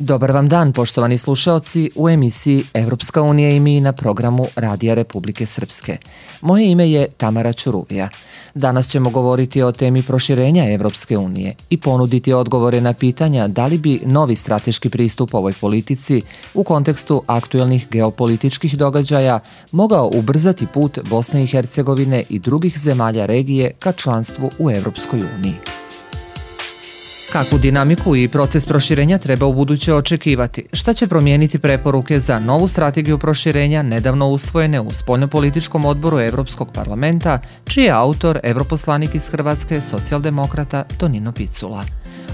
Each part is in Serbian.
Dobar vam dan, poštovani slušaoci, u emisiji Evropska unija i mi na programu Radija Republike Srpske. Moje ime je Tamara Ćuruvija. Danas ćemo govoriti o temi proširenja Evropske unije i ponuditi odgovore na pitanja da li bi novi strateški pristup ovoj politici u kontekstu aktuelnih geopolitičkih događaja mogao ubrzati put Bosne i Hercegovine i drugih zemalja regije ka članstvu u Evropskoj uniji. Kakvu dinamiku i proces proširenja treba u buduće očekivati? Šta će promijeniti preporuke za novu strategiju proširenja nedavno usvojene u Spoljnopolitičkom odboru Evropskog parlamenta, čiji je autor evroposlanik iz Hrvatske, socijaldemokrata Tonino Picula?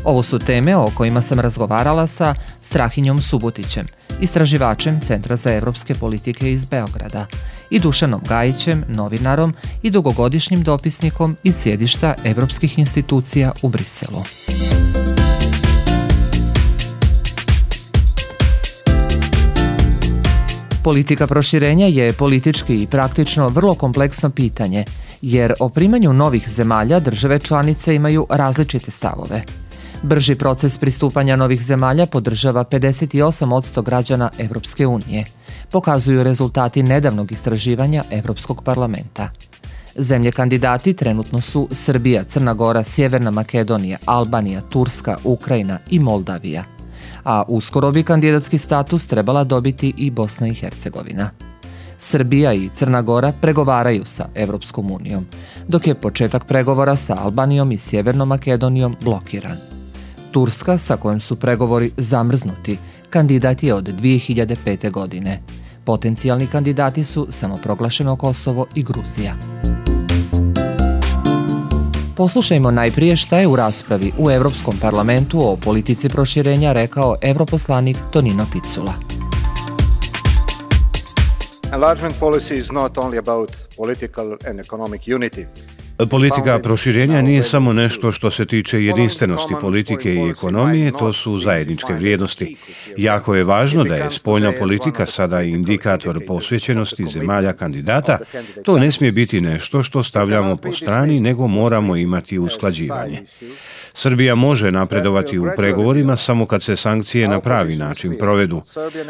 Ovo su teme o kojima sam razgovarala sa Strahinjom Subotićem, istraživačem Centra za evropske politike iz Beograda, i Dušanom Gajićem, novinarom i dugogodišnjim dopisnikom iz sjedišta evropskih institucija u Briselu. Politika proširenja je politički i praktično vrlo kompleksno pitanje, jer o primanju novih zemalja države članice imaju različite stavove. Brži proces pristupanja novih zemalja podržava 58% građana Evropske unije, pokazuju rezultati nedavnog istraživanja Evropskog parlamenta. Zemlje kandidati trenutno su Srbija, Crna Gora, Sjeverna Makedonija, Albanija, Turska, Ukrajina i Moldavija, a uskoro bi kandidatski status trebala dobiti i Bosna i Hercegovina. Srbija i Crna Gora pregovaraju sa Evropskom unijom, dok je početak pregovora sa Albanijom i Sjevernom Makedonijom blokiran. Turska, sa kojom su pregovori zamrznuti, kandidat je od 2005. godine. Potencijalni kandidati su samoproglašeno Kosovo i Gruzija. Poslušajmo najprije šta je u raspravi u Evropskom parlamentu o politici proširenja rekao evroposlanik Tonino Picula. Enlargement policy is not only about political and economic unity. Politika proširenja nije samo nešto što se tiče jedinstvenosti politike i ekonomije, to su zajedničke vrijednosti. Jako je važno da je spoljna politika sada indikator posvećenosti zemalja kandidata. To ne smije biti nešto što stavljamo po strani, nego moramo imati usklađivanje. Srbija može napredovati u pregovorima samo kad se sankcije na pravi način provedu.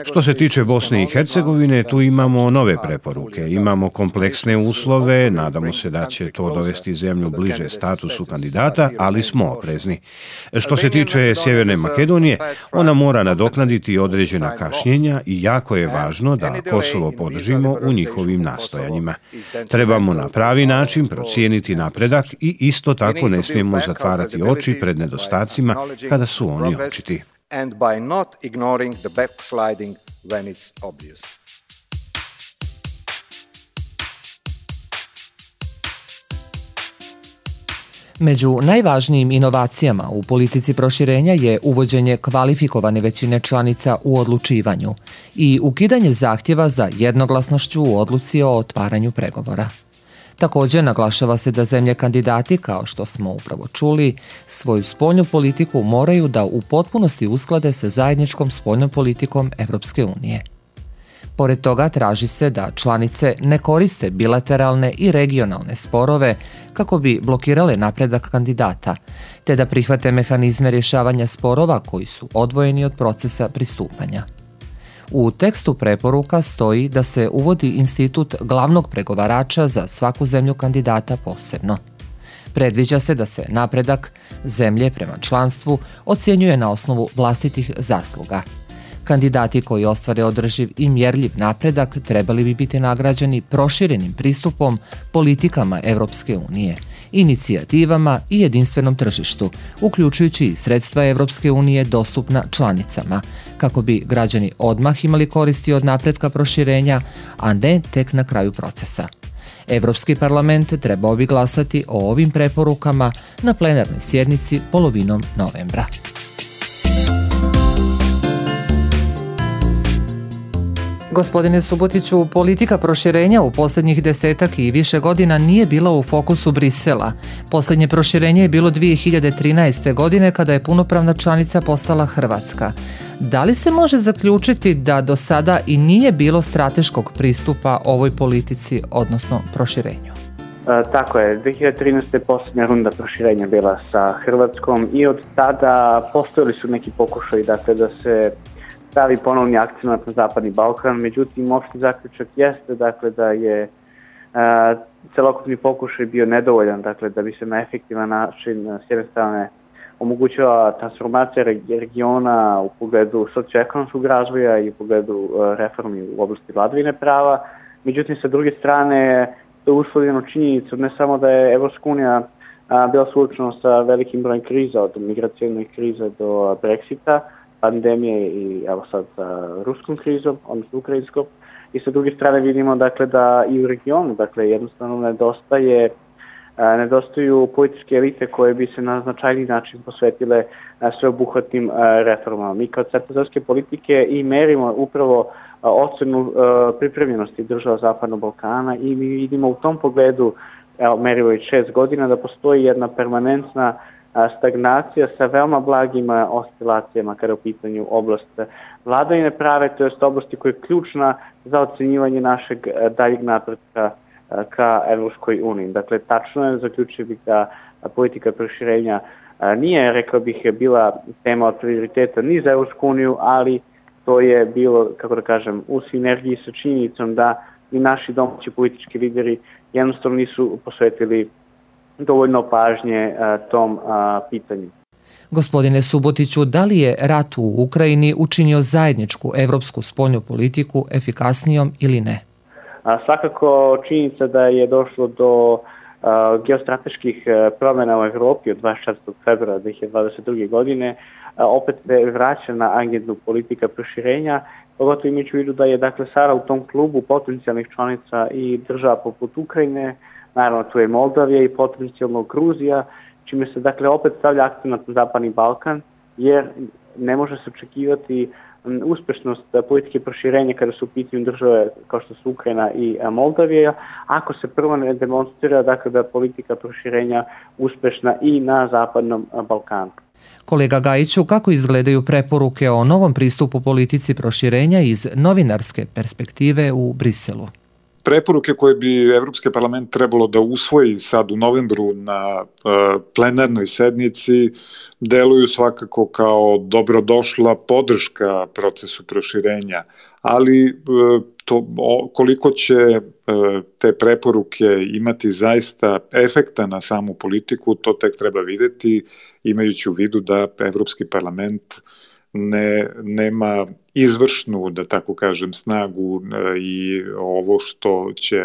Što se tiče Bosne i Hercegovine, tu imamo nove preporuke, imamo kompleksne uslove, nadamo se da će to dovesti zemlju bliže statusu kandidata, ali smo oprezni. Što se tiče Sjeverne Makedonije, ona mora nadoknaditi određena kašnjenja i jako je važno da Kosovo podržimo u njihovim nastojanjima. Trebamo na pravi način procijeniti napredak i isto tako ne smijemo zatvarati oči pred nedostacima kada su oni očiti. Među najvažnijim inovacijama u politici proširenja je uvođenje kvalifikovane većine članica u odlučivanju i ukidanje zahtjeva za jednoglasnošću u odluci o otvaranju pregovora. Također naglašava se da zemlje kandidati, kao što smo upravo čuli, svoju spoljnu politiku moraju da u potpunosti usklade sa zajedničkom spoljnom politikom Evropske unije. Pored toga traži se da članice ne koriste bilateralne i regionalne sporove kako bi blokirale napredak kandidata, te da prihvate mehanizme rješavanja sporova koji su odvojeni od procesa pristupanja. U tekstu preporuka stoji da se uvodi institut glavnog pregovarača za svaku zemlju kandidata posebno. Predviđa se da se napredak zemlje prema članstvu ocjenjuje na osnovu vlastitih zasluga. Kandidati koji ostvare održiv i mjerljiv napredak trebali bi biti nagrađeni proširenim pristupom politikama Evropske unije, inicijativama i jedinstvenom tržištu, uključujući i sredstva Evropske unije dostupna članicama, kako bi građani odmah imali koristi od napretka proširenja, a ne tek na kraju procesa. Evropski parlament trebao bi glasati o ovim preporukama na plenarnoj sjednici polovinom novembra. Gospodine Subotiću, politika proširenja u posljednjih 10 i više godina nije bila u fokusu Brisela. Posljednje proširenje je bilo 2013. godine kada je punopravna članica postala Hrvatska. Da li se može zaključiti da do sada i nije bilo strateškog pristupa ovoj politici, odnosno proširenju? Tako je, 2013. je posljednja runda proširenja bila sa Hrvatskom i od tada postojali su neki pokušaji da se stavi ponovni akcenat na Zapadni Balkan. Međutim, opšti zaključak jeste dakle, da je celokupni pokušaj bio nedovoljan, dakle, da bi se na efektivan način s jedne strane omogućila transformacija regiona u pogledu socioekonomskog razvoja i u pogledu reformi u oblasti vladavine prava. Međutim, sa druge strane, to je uslovljeno činjenicom ne samo da je Evropska unija bila suočena sa velikim brojem kriza, od migracijne krize do Brexita, pandemije i evo sad sa ruskom krizom, odnosno ukrajinskom. I sa druge strane vidimo dakle, da i u regionu dakle, jednostavno nedostaju političke elite koje bi se na značajni način posvetile sveobuhvatnim reformama. Mi kao centralne politike i merimo upravo ocenu pripremljenosti država Zapadnog Balkana i mi vidimo u tom pogledu, merimo već 6 godina, da postoji jedna permanentna stagnacija sa veoma blagim oscilacijama kada je u pitanju oblast vladavine prava, to jest oblasti koja je ključna za ocenjivanje našeg daljeg napretka ka Evropskoj uniji. Dakle, tačno je, zaključio bih da politika proširenja nije, rekao bih, bila tema od prioriteta ni za Evropsku uniju, ali to je bilo, kako da kažem, u sinergiji sa činjenicom da i naši domaći politički lideri jednostavno nisu posvetili dovoljno pažnje tom pitanju. Gospodine Subotiću, da li je rat u Ukrajini učinio zajedničku evropsku spoljnu politiku efikasnijom ili ne? Svakako činjenica da je došlo do geostrateških promjena u Evropi od 24. februara 2022. godine opet se vraća na agendu politika proširenja, pogotovo imajući u vidu da je dakle sada u tom klubu potencijalnih članica i država poput Ukrajine, naravno tu je Moldavija i potencijalno Gruzija, čime se dakle opet stavlja akcenat na Zapadni Balkan, jer ne može se očekivati uspešnost politike proširenja kada su u pitanju države kao što su Ukrajina i Moldavija, ako se prvo ne demonstrira dakle, da je politika proširenja uspešna i na Zapadnom Balkanu. Kolega Gajiću, kako izgledaju preporuke o novom pristupu politici proširenja iz novinarske perspektive u Briselu? Preporuke koje bi Evropski parlament trebalo da usvoji sad u novembru na plenarnoj sednici deluju svakako kao dobrodošla podrška procesu proširenja, ali koliko će te preporuke imati zaista efekta na samu politiku, to tek treba videti, imajući u vidu da Evropski parlament nema izvršnu, da tako kažem, snagu i ovo što će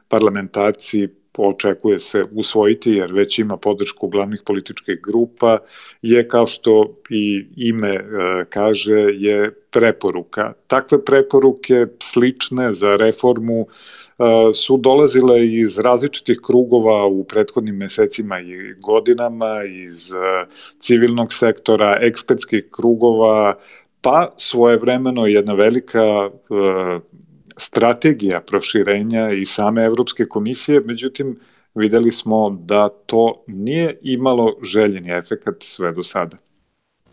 parlamentarci očekuje se usvojiti, jer već ima podršku glavnih političkih grupa, je kao što i ime kaže, je preporuka. Takve preporuke slične za reformu su dolazile iz različitih krugova u prethodnim mesecima i godinama, iz civilnog sektora, ekspertskih krugova, pa svojevremeno jedna velika strategija proširenja i same Evropske komisije, međutim videli smo da to nije imalo željeni efekat sve do sada.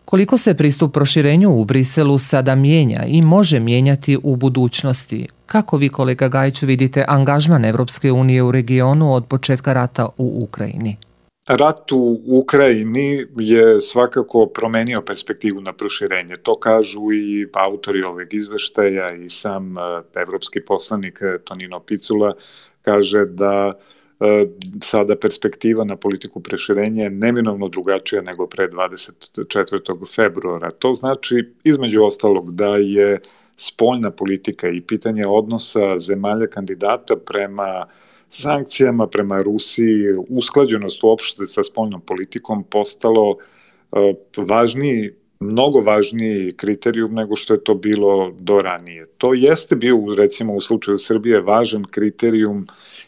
Koliko se pristup proširenju u Briselu sada mijenja i može mijenjati u budućnosti? Kako vi, kolega Gajiću, vidite angažman Evropske unije u regionu od početka rata u Ukrajini? Rat u Ukrajini je svakako promenio perspektivu na proširenje. To kažu i autori ovog izveštaja i sam evropski poslanik Tonino Picula kaže da sada perspektiva na politiku proširenja je neminovno drugačija nego pre 24. februara. To znači, između ostalog, da je spoljna politika i pitanje odnosa zemalja kandidata prema sankcijama, prema Rusiji, usklađenost uopšte sa spoljnom politikom postalo važniji, mnogo važniji kriterijum nego što je to bilo do ranije. To jeste bio, recimo u slučaju Srbije, važan kriterijum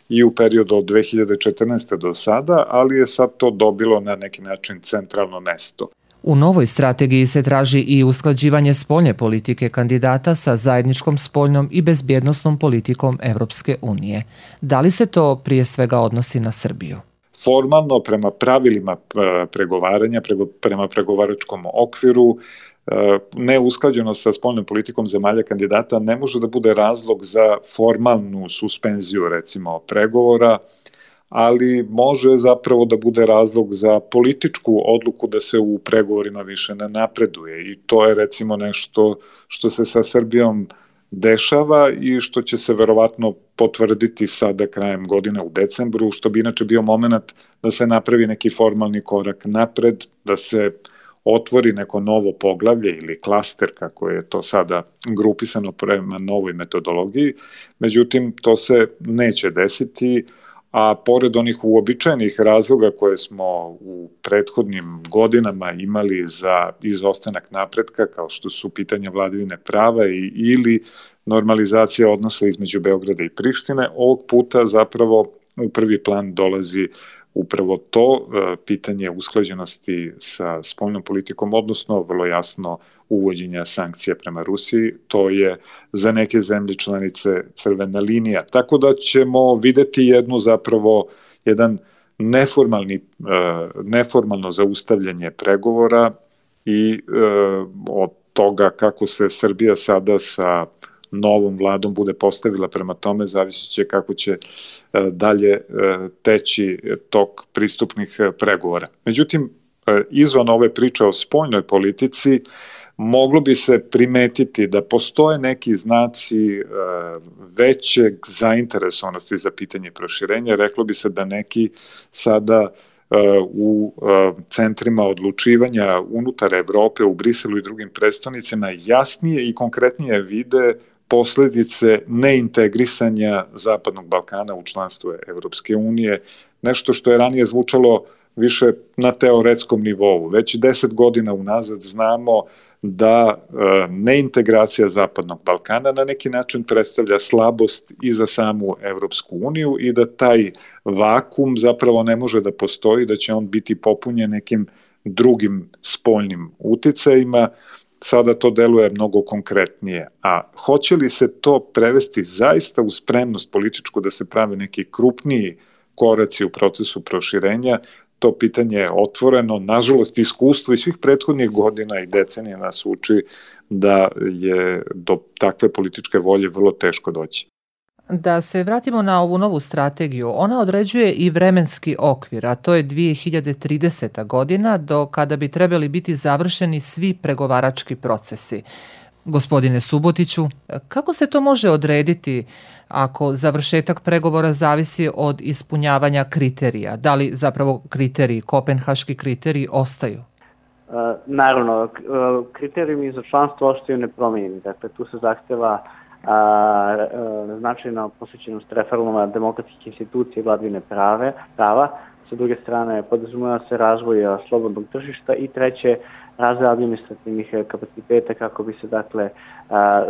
i u periodu od 2014. do sada, ali je sad to dobilo na neki način centralno mesto. U novoj strategiji se traži i usklađivanje spoljne politike kandidata sa zajedničkom spoljnom i bezbjednosnom politikom Evropske unije. Da li se to prije svega odnosi na Srbiju? Formalno, prema pravilima pregovaranja, prema pregovaračkom okviru, neusklađenost sa spoljnom politikom zemalja kandidata ne može da bude razlog za formalnu suspenziju, recimo, pregovora, ali može zapravo da bude razlog za političku odluku da se u pregovorima više ne napreduje i to je recimo nešto što se sa Srbijom dešava i što će se verovatno potvrditi sada krajem godine u decembru, što bi inače bio moment da se napravi neki formalni korak napred, da se otvori neko novo poglavlje ili klaster, kako je to sada grupisano prema novoj metodologiji. Međutim, to se neće desiti, a pored onih uobičajenih razloga koje smo u prethodnim godinama imali za izostanak napretka, kao što su pitanja vladavine prava ili normalizacija odnosa između Beograda i Prištine, ovog puta zapravo u prvi plan dolazi upravo to, pitanje usklađenosti sa spoljnom politikom, odnosno vrlo jasno uvođenja sankcija prema Rusiji, to je za neke zemlje članice crvena linija. Tako da ćemo videti jedan neformalno zaustavljanje pregovora i od toga kako se Srbija sada sa novom vladom bude postavila prema tome, zavisit će kako će dalje teći tok pristupnih pregovora. Međutim, izvan ove priče o spoljnoj politici, moglo bi se primetiti da postoje neki znaci većeg zainteresovanosti za pitanje proširenja. Reklo bi se da neki sada u centrima odlučivanja unutar Evrope, u Briselu i drugim prestonicama jasnije i konkretnije vide posledice neintegrisanja Zapadnog Balkana u članstvo Evropske unije, nešto što je ranije zvučalo više na teoretskom nivou. Već 10 godina unazad znamo da neintegracija Zapadnog Balkana na neki način predstavlja slabost i za samu Evropsku uniju i da taj vakum zapravo ne može da postoji, da će on biti popunjen nekim drugim spoljnim uticajima. Sada to deluje mnogo konkretnije. A hoće li se to prevesti zaista u spremnost političku da se prave neki krupniji koraci u procesu proširenja, to pitanje je otvoreno. Nažalost, iskustvo i svih prethodnih godina i decenija nas uči da je do takve političke volje vrlo teško doći. Da se vratimo na ovu novu strategiju, ona određuje i vremenski okvir, a to je 2030. godina, do kada bi trebali biti završeni svi pregovarački procesi. Gospodine Subotiću, kako se to može odrediti ako završetak pregovora zavisi od ispunjavanja kriterija? Da li zapravo kriteriji, kopenhaški kriteriji, ostaju? Naravno, kriterijumi za članstvo ostaju nepromenjeni. Dakle, tu se zahteva značajna posvećenost reformama demokratskih institucija i vladavine prava. Sa druge strane, podrazumeva se razvoj slobodnog tržišta i treće, razvoj administrativnih kapaciteta kako bi se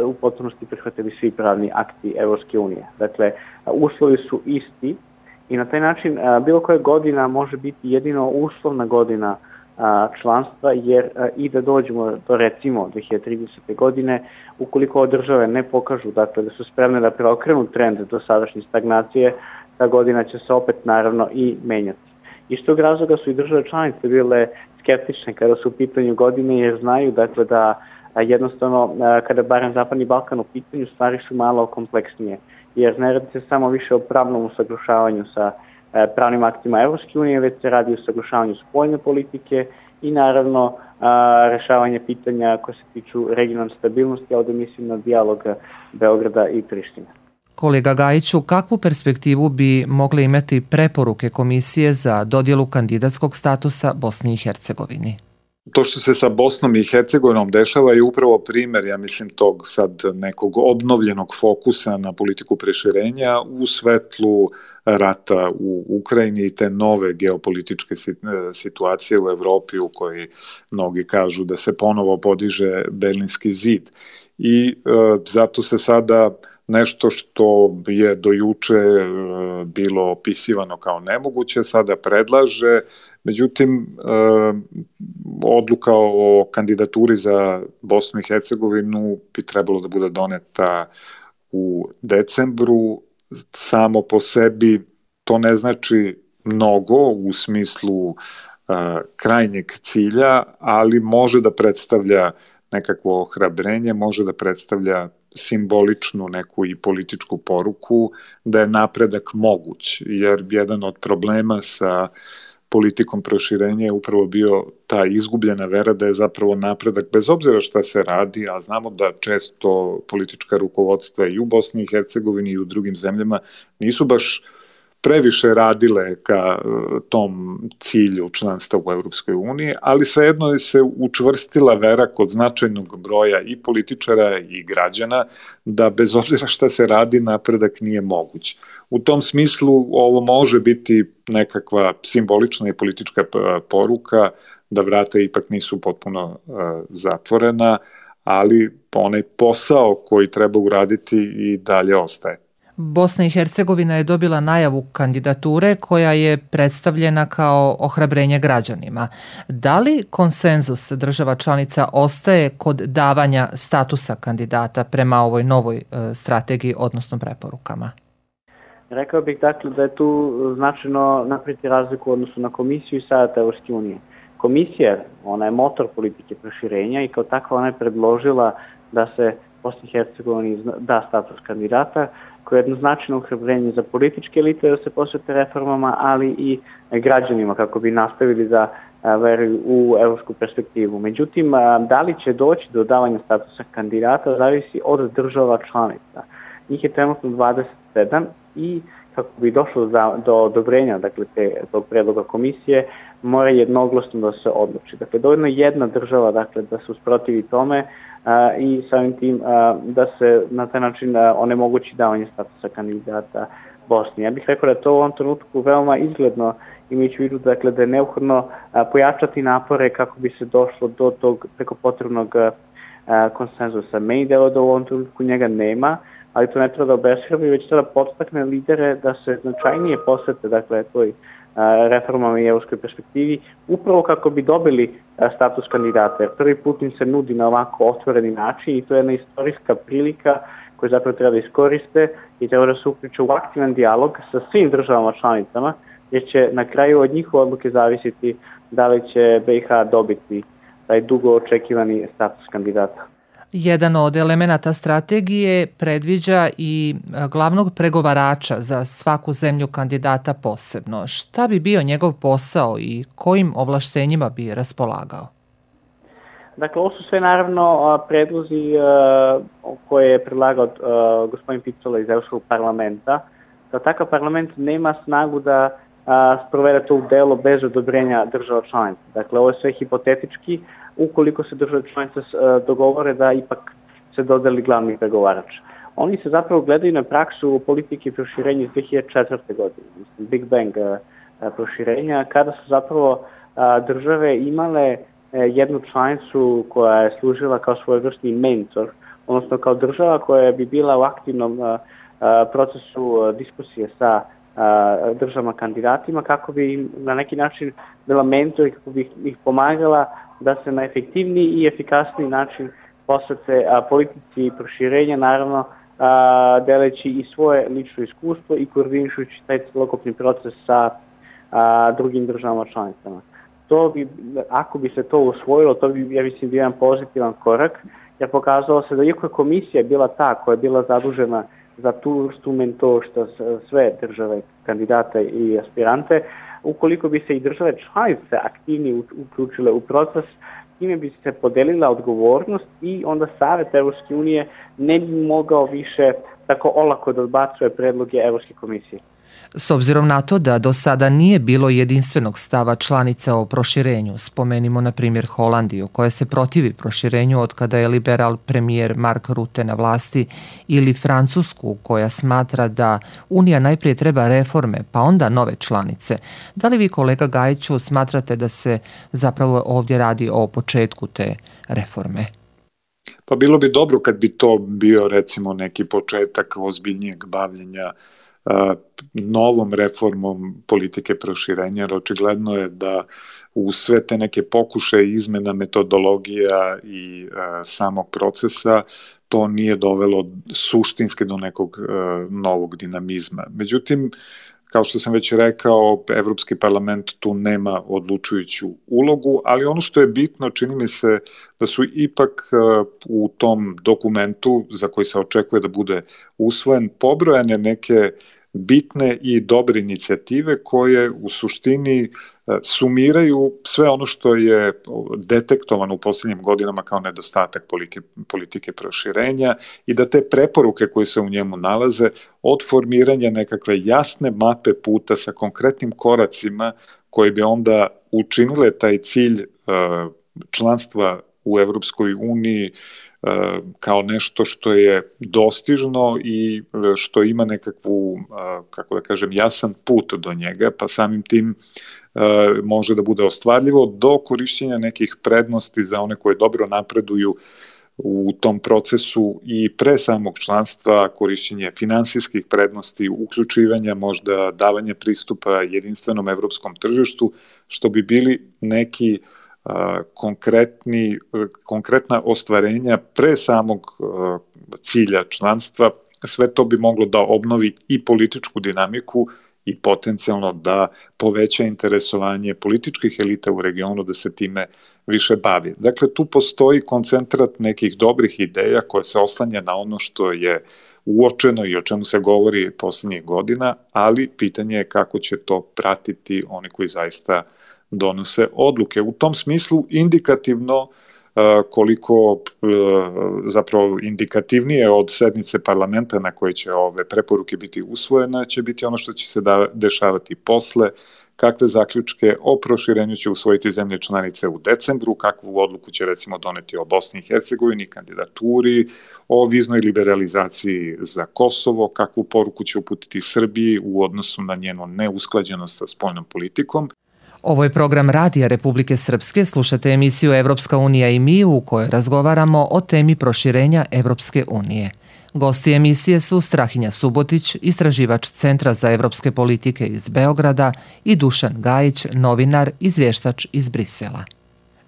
u potpunosti prihvatili svi pravni akti Evropske unije. Dakle, uslovi su isti i na taj način bilo koja godina može biti jedino uslovna godina članstva, jer i da dođemo do recimo 2030. godine, ukoliko države ne pokažu da su spremne da preokrenu trend do sadašnje stagnacije, ta godina će se opet naravno i menjati. Iz tog razloga su i države članice bile skeptične kada su u pitanju godine, jer znaju da jednostavno kada barem Zapadni Balkan u pitanju, stvari su malo kompleksnije, jer ne radi se samo više o pravnom usaglašavanju sa pravnim aktima Evropske unije, već se radi o usaglašavanju spoljne politike i naravno rešavanje pitanja koje se tiču regionalne stabilnosti, a ovde mislim na dijalog Beograda i Prištine. Kolega Gajiću, kakvu perspektivu bi mogle imati preporuke Komisije za dodjelu kandidatskog statusa Bosni i Hercegovini? To što se sa Bosnom i Hercegovinom dešava je upravo primer, ja mislim, tog sad nekog obnovljenog fokusa na politiku proširenja u svetlu rata u Ukrajini i te nove geopolitičke situacije u Evropi u kojoj mnogi kažu da se ponovo podiže Berlinski zid. I zato se sada nešto što je do juče bilo opisivano kao nemoguće, sada predlaže. Međutim, odluka o kandidaturi za Bosnu i Hercegovinu bi trebalo da bude doneta u decembru. Samo po sebi to ne znači mnogo u smislu krajnjeg cilja, ali može da predstavlja nekakvo ohrabrenje, može da predstavlja simboličnu neku i političku poruku da je napredak moguć, jer jedan od problema sa politikom proširenja je upravo bio ta izgubljena vera da je zapravo napredak, bez obzira šta se radi, a znamo da često politička rukovodstva i u Bosni i Hercegovini i u drugim zemljama nisu baš previše radile ka tom cilju članstva u Europskoj uniji, ali svejedno je se učvrstila vera kod značajnog broja i političara i građana da bez obzira šta se radi napredak nije moguć. U tom smislu ovo može biti nekakva simbolična i politička poruka da vrata ipak nisu potpuno zatvorena, ali onaj posao koji treba uraditi i dalje ostaje. Bosna i Hercegovina je dobila najavu kandidature koja je predstavljena kao ohrabrenje građanima. Da li konsenzus država članica ostaje kod davanja statusa kandidata prema ovoj novoj strategiji, odnosno preporukama? Rekao bih dakle da je tu značajno napraviti razliku u odnosu na Komisiju i Savet Evropske unije. Komisija, ona je motor politike proširenja i kao takva ona je predložila da se Bosni i Hercegovini da status kandidata, koje je jednoznačajno ohrabrenje za političke elite da se posvete reformama, ali i građanima kako bi nastavili da veruju u evropsku perspektivu. Međutim, da li će doći do davanja statusa kandidata zavisi od država članica. Njih je trenutno 27 i kako bi došlo do odobrenja tog predloga komisije, mora jednoglasno da se odluči. Dakle, dovoljno jedna država da se usprotivi tome i samim tim da se na taj način onemogući davanje statusa kandidata Bosni. Ja bih rekao da je to u ovom trenutku veoma izgledno, imajući u vidu da je neophodno pojačati napore kako bi se došlo do tog preko potrebnog konsenzusa. Meni delo da u ovom trenutku njega nema, ali to ne treba da obeshrabri, već treba podstakne lidere da se značajnije posvete toj reformama i evropskoj perspektivi, upravo kako bi dobili status kandidata. Jer prvi put im se nudi na ovako otvoreni način i to je jedna istorijska prilika koju zapravo treba da iskoriste i treba da se uključe u aktivan dijalog sa svim državama članicama, jer će na kraju od njihove odluke zavisiti da li će BiH dobiti taj dugo očekivani status kandidata. Jedan od elemenata strategije predviđa i glavnog pregovarača za svaku zemlju kandidata posebno. Šta bi bio njegov posao i kojim ovlaštenjima bi raspolagao? Dakle, ovo su sve naravno predlozi koje je predlagao gospodin Picola iz Evropskog parlamenta. Da takav parlament nema snagu da sprovede to u delo bez odobrenja država članica. Dakle, ovo je sve hipotetički, ukoliko se države članice dogovore da ipak se dodeli glavni pregovarač. Oni se zapravo gledaju na praksu politike i proširenja iz 2004. godine, Big Bang proširenja, kada su zapravo države imale jednu članicu koja je služila kao svojevrsni mentor, odnosno kao država koja bi bila u aktivnom procesu diskusije sa državama kandidatima kako bi im na neki način bila mentor i kako bi ih pomagala da se na efektivniji i efikasniji način posvete politici proširenja, naravno deleći i svoje lično iskustvo i koordinišući taj celokupni proces sa drugim državama članicama. To bi, ako bi se to usvojilo, to bi, ja mislim, bio jedan pozitivan korak, jer pokazalo se da iako je komisija bila ta koja je bila zadužena za tu vrstu mentorstva sve države, kandidate i aspirante, ukoliko bi se i države članice aktivnije uključile u proces, time bi se podelila odgovornost i onda Savet Evropske unije ne bi mogao više tako olako da odbacuje predloge Evropske komisije. S obzirom na to da do sada nije bilo jedinstvenog stava članica o proširenju, spomenimo na primjer Holandiju koja se protivi proširenju od kada je liberal premijer Mark Rutte na vlasti, ili Francusku koja smatra da Unija najprije treba reforme pa onda nove članice. Da li vi, kolega Gajiću, smatrate da se zapravo ovdje radi o početku te reforme? Pa bilo bi dobro kad bi to bio recimo neki početak ozbiljnijeg bavljenja novom reformom politike proširenja, jer očigledno je da u sve te neke pokušaje izmena metodologija i samog procesa to nije dovelo suštinski do nekog novog dinamizma. Međutim, Kao što sam već rekao, Evropski parlament tu nema odlučujuću ulogu, ali ono što je bitno, čini mi se da su ipak u tom dokumentu za koji se očekuje da bude usvojen pobrojane neke bitne i dobre inicijative koje u suštini sumiraju sve ono što je detektovano u posljednjim godinama kao nedostatak politike proširenja i da te preporuke koje se u njemu nalaze od formiranja nekakve jasne mape puta sa konkretnim koracima koji bi onda učinile taj cilj članstva u Evropskoj uniji kao nešto što je dostižno i što ima nekakvu, kako da kažem, jasan put do njega, pa samim tim može da bude ostvarljivo do korišćenja nekih prednosti za one koje dobro napreduju u tom procesu i pre samog članstva, korišćenje finansijskih prednosti, uključivanja, možda davanje pristupa jedinstvenom evropskom tržištu, što bi bili neki konkretna ostvarenja pre samog cilja članstva. Sve to bi moglo da obnovi i političku dinamiku i potencijalno da poveća interesovanje političkih elita u regionu da se time više bavi. Dakle, tu postoji koncentrat nekih dobrih ideja koje se oslanja na ono što je uočeno i o čemu se govori poslednjih godina, ali pitanje je kako će to pratiti oni koji zaista donose odluke. U tom smislu indikativno, koliko zapravo indikativnije od sednice parlamenta na koje će ove preporuke biti usvojene, će biti ono što će se dešavati posle, kakve zaključke o proširenju će usvojiti zemlje članice u decembru, kakvu odluku će recimo doneti o Bosni i Hercegovini, kandidaturi, o viznoj liberalizaciji za Kosovo, kakvu poruku će uputiti Srbiji u odnosu na njenu neusklađenost sa spoljnom politikom. Ovo je program Radija Republike Srpske. Slušate emisiju Evropska unija i mi u kojoj razgovaramo o temi proširenja Evropske unije. Gosti emisije su Strahinja Subotić, istraživač Centra za evropske politike iz Beograda i Dušan Gajić, novinar, izvještač iz Brisela.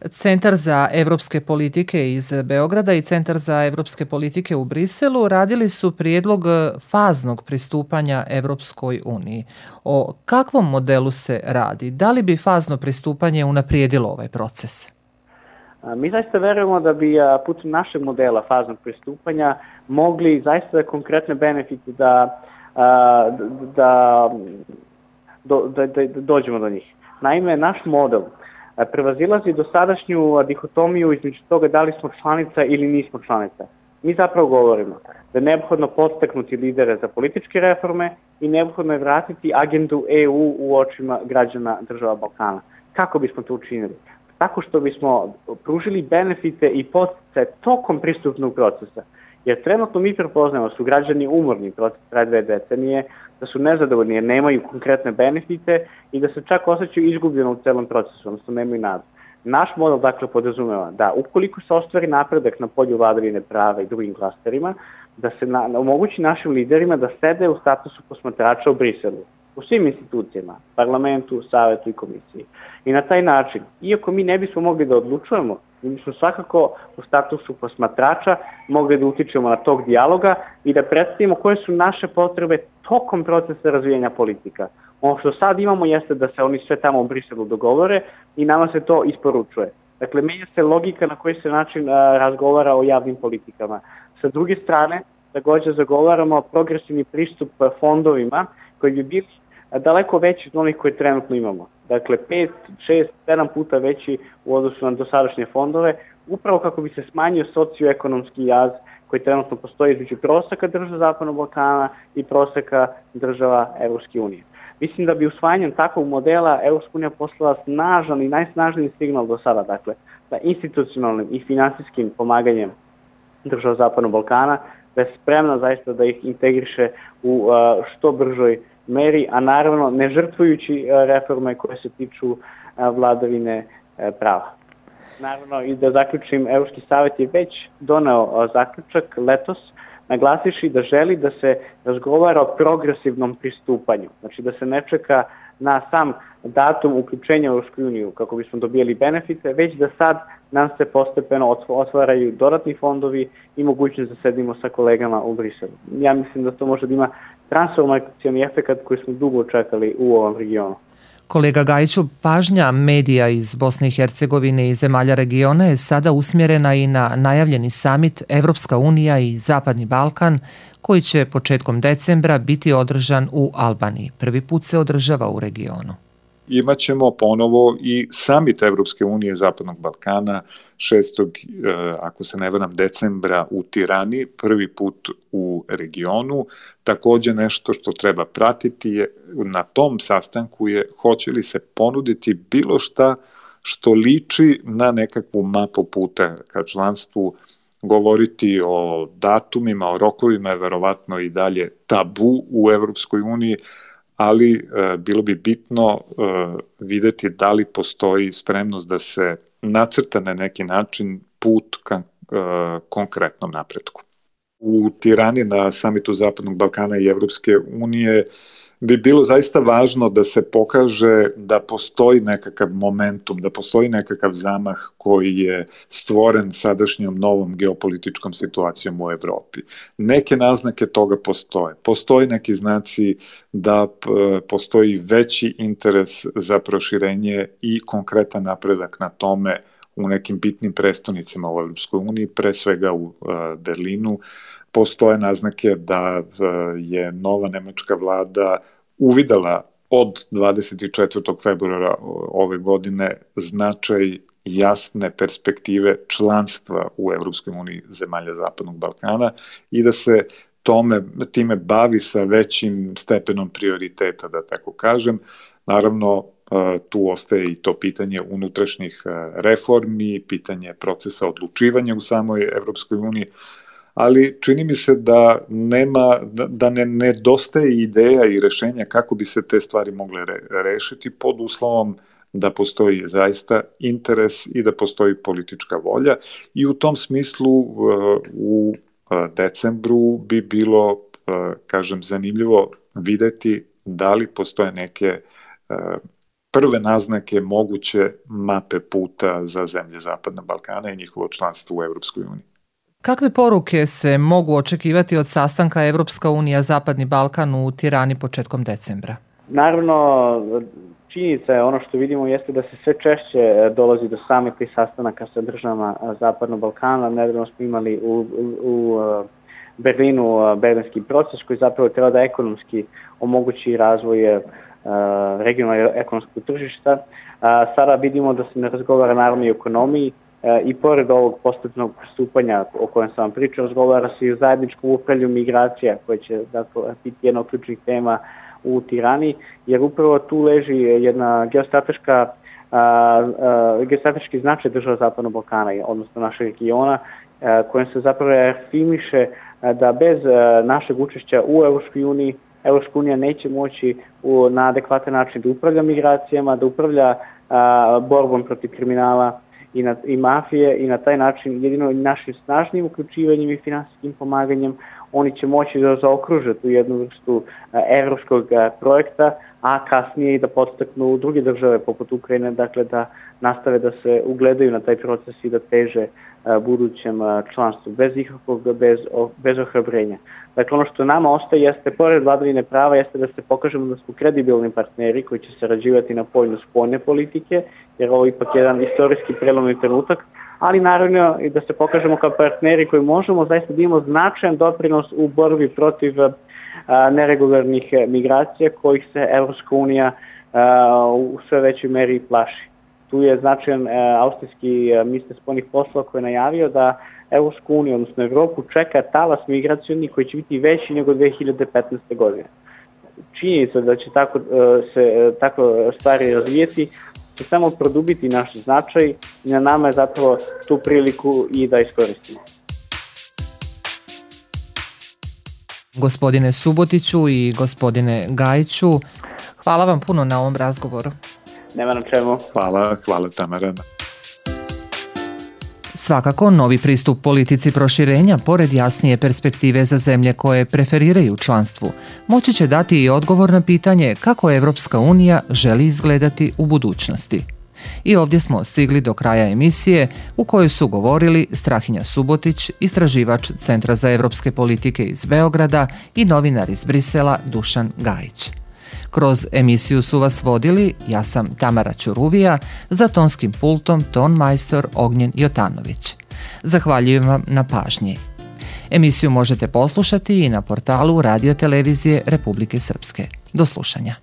Centar za evropske politike iz Beograda i Centar za evropske politike u Briselu radili su prijedlog faznog pristupanja Evropskoj uniji. O kakvom modelu se radi? Da li bi fazno pristupanje unaprijedilo ovaj proces? Mi zaista verujemo da bi putem našeg modela faznog pristupanja mogli zaista konkretne benefite da dođemo do njih. Naime, naš model prevazilazi dosadašnju dihotomiju između toga da li smo članica ili nismo članica. Mi zapravo govorimo da je neophodno podstaknuti lidere za političke reforme i neophodno je vratiti agendu EU u očima građana država Balkana. Kako bismo to učinili? Tako što bismo pružili benefite i podsticaje tokom pristupnog procesa. Jer trenutno mi prepoznamo da su građani umorni proces traje 2 decenije, da su nezadovoljni jer nemaju konkretne benefite i da se čak osjećaju izgubljeno u celom procesu, odnosno nemaju nadu. Naš model dakle podrazumeva da ukoliko se ostvari napredak na polju vladavine prava i drugim klasterima, da se omogući našim liderima da sede u statusu posmatrača u Briselu, u svim institucijama, parlamentu, savetu i komisiji. I na taj način, iako mi ne bismo mogli da odlučujemo, mi bismo svakako u statusu posmatrača mogli da utičemo na tog dijaloga i da predstavimo koje su naše potrebe tokom procesa razvijanja politika. Ono što sad imamo jeste da se oni sve tamo u Briselu dogovore i nama se to isporučuje. Dakle, menja se logika na koji se način razgovara o javnim politikama. Sa druge strane, također zagovaramo progresivni pristup fondovima koji bi bili daleko veći od onih koje trenutno imamo. Dakle, 5, 6, 7 puta veći u odnosu na dosadašnje fondove, upravo kako bi se smanjio socioekonomski jaz koji trenutno postoji između proseka država Zapadnog Balkana i proseka država Evropske unije. Mislim da bi usvajanjem takvog modela Evropska unija poslala snažan i najsnažniji signal do sada, dakle, da institucionalnim i finansijskim pomaganjem država Zapadnog Balkana, da je spremna zaista da ih integriše u što bržoj meri, a naravno ne žrtvujući reforme koje se tiču vladavine prava. Naravno i da zaključim, Evropski savjet je već doneo zaključak letos, naglasiši da želi da se razgovara o progresivnom pristupanju, znači da se ne čeka na sam datum uključenja u Evropsku uniju kako bismo dobijali benefite, već da sad nam se postepeno otvaraju dodatni fondovi i mogućnost da sedimo sa kolegama u Briselu. Ja mislim da to može da ima transformacioni efekat koji smo dugo čekali u ovom regionu. Kolega Gajiću, pažnja medija iz Bosne i Hercegovine i zemalja regiona je sada usmjerena i na najavljeni samit Evropska unija i Zapadni Balkan, koji će početkom decembra biti održan u Albaniji. Prvi put se održava u regionu. Imaćemo ponovo i samit Evropske unije Zapadnog Balkana 6. ako se ne varam decembra u Tirani, prvi put u regionu. Takođe nešto što treba pratiti je na tom sastanku je hoće li se ponuditi bilo šta što liči na nekakvu mapu puta ka članstvu. Govoriti o datumima, o rokovima je verovatno i dalje tabu u Evropskoj uniji, ali bilo bi bitno videti da li postoji spremnost da se nacrta na neki način put ka konkretnom napretku. U Tirani na samitu Zapadnog Balkana i Evropske unije bi bilo zaista važno da se pokaže da postoji nekakav momentum, da postoji nekakav zamah koji je stvoren sadašnjom novom geopolitičkom situacijom u Evropi. Neke naznake toga postoje. Postoji neki znaci da postoji veći interes za proširenje i konkretan napredak na tome u nekim bitnim prestonicama u Evropskoj uniji, pre svega u Berlinu. Postoje naznake da je nova nemačka vlada uvidela od 24. februara ove godine značaj jasne perspektive članstva u Evropskoj uniji zemalja Zapadnog Balkana i da se time bavi sa većim stepenom prioriteta, da tako kažem. Naravno, tu ostaje i to pitanje unutrašnjih reformi, pitanje procesa odlučivanja u samoj Evropskoj uniji, ali čini mi se da ne nedostaje ideja i rešenja kako bi se te stvari mogle rešiti pod uslovom da postoji zaista interes i da postoji politička volja i u tom smislu u decembru bi bilo, kažem, zanimljivo videti da li postoje neke prve naznake moguće mape puta za zemlje Zapadnog Balkana i njihovo članstvo u Evropskoj uniji. Kakve poruke se mogu očekivati od sastanka Evropska unija Zapadni Balkan u Tirani početkom decembra? Naravno, činjenica je ono što vidimo jeste da se sve češće dolazi do samih sastanaka sa državama Zapadnog Balkana. Nedavno smo imali u Berlinu berlinski proces koji zapravo treba da ekonomski omogući razvoj regionalnog ekonomskog tržišta. Sada vidimo da se ne razgovara naravno i o ekonomiji, i pored ovog postupnog pristupanja o kojem sam vam pričao, razgovara se i o zajedničkom upravljanju migracija, koje će biti jedna od ključnih tema u Tirani, jer upravo tu leži jedna geostrateški značaj država Zapadnog Balkana, odnosno našeg regiona, kojim se zapravo afirmiše da bez našeg učešća u Evropskoj uniji, Evropska unija neće moći na adekvatan način da upravlja migracijama, da upravlja borbom protiv kriminala i mafije i na taj način jedino našim snažnim uključivanjem i finansijskim pomaganjem oni će moći da zaokruže tu jednu vrstu evropskog projekta, a kasnije i da podstaknu druge države poput Ukrajine, dakle da nastave da se ugledaju na taj proces i da teže budućem članstvu bez ohrabrenja. Dakle, ono što nama ostaje jeste, pored vladavine prava, jeste da se pokažemo da smo kredibilni partneri koji će sarađivati na polju spoljne politike, jer ovo je ipak jedan istorijski prelomni trenutak, ali naravno i da se pokažemo kao partneri koji možemo zaista da imamo značajan doprinos u borbi protiv neregularnih migracija kojih se Evropska unija u sve većoj meri plaši. Tu je značajan austrijski ministar spoljnih poslova koji je najavio da Evropsku uniju, odnosno Evropu, čeka talas migracioni koji će biti veći nego 2015. godine. Činjenica da će tako stvari razvijeti će samo produbiti naš značaj i na nama je zapravo tu priliku i da iskoristimo. Gospodine Subotiću i gospodine Gajiću, hvala vam puno na ovom razgovoru. Nema na čemu. Hvala Tamara. Svakako, novi pristup politici proširenja, pored jasnije perspektive za zemlje koje preferiraju članstvu, moći će dati i odgovor na pitanje kako Evropska unija želi izgledati u budućnosti. I ovdje smo stigli do kraja emisije u kojoj su govorili Strahinja Subotić, istraživač Centra za evropske politike iz Beograda, i novinar iz Brisela Dušan Gajić. Kroz emisiju su vas vodili, ja sam Tamara Ćuruvija, za tonskim pultom ton majstor Ognjen Jotanović. Zahvaljujem vam na pažnji. Emisiju možete poslušati i na portalu Radio Televizije Republike Srpske. Do slušanja.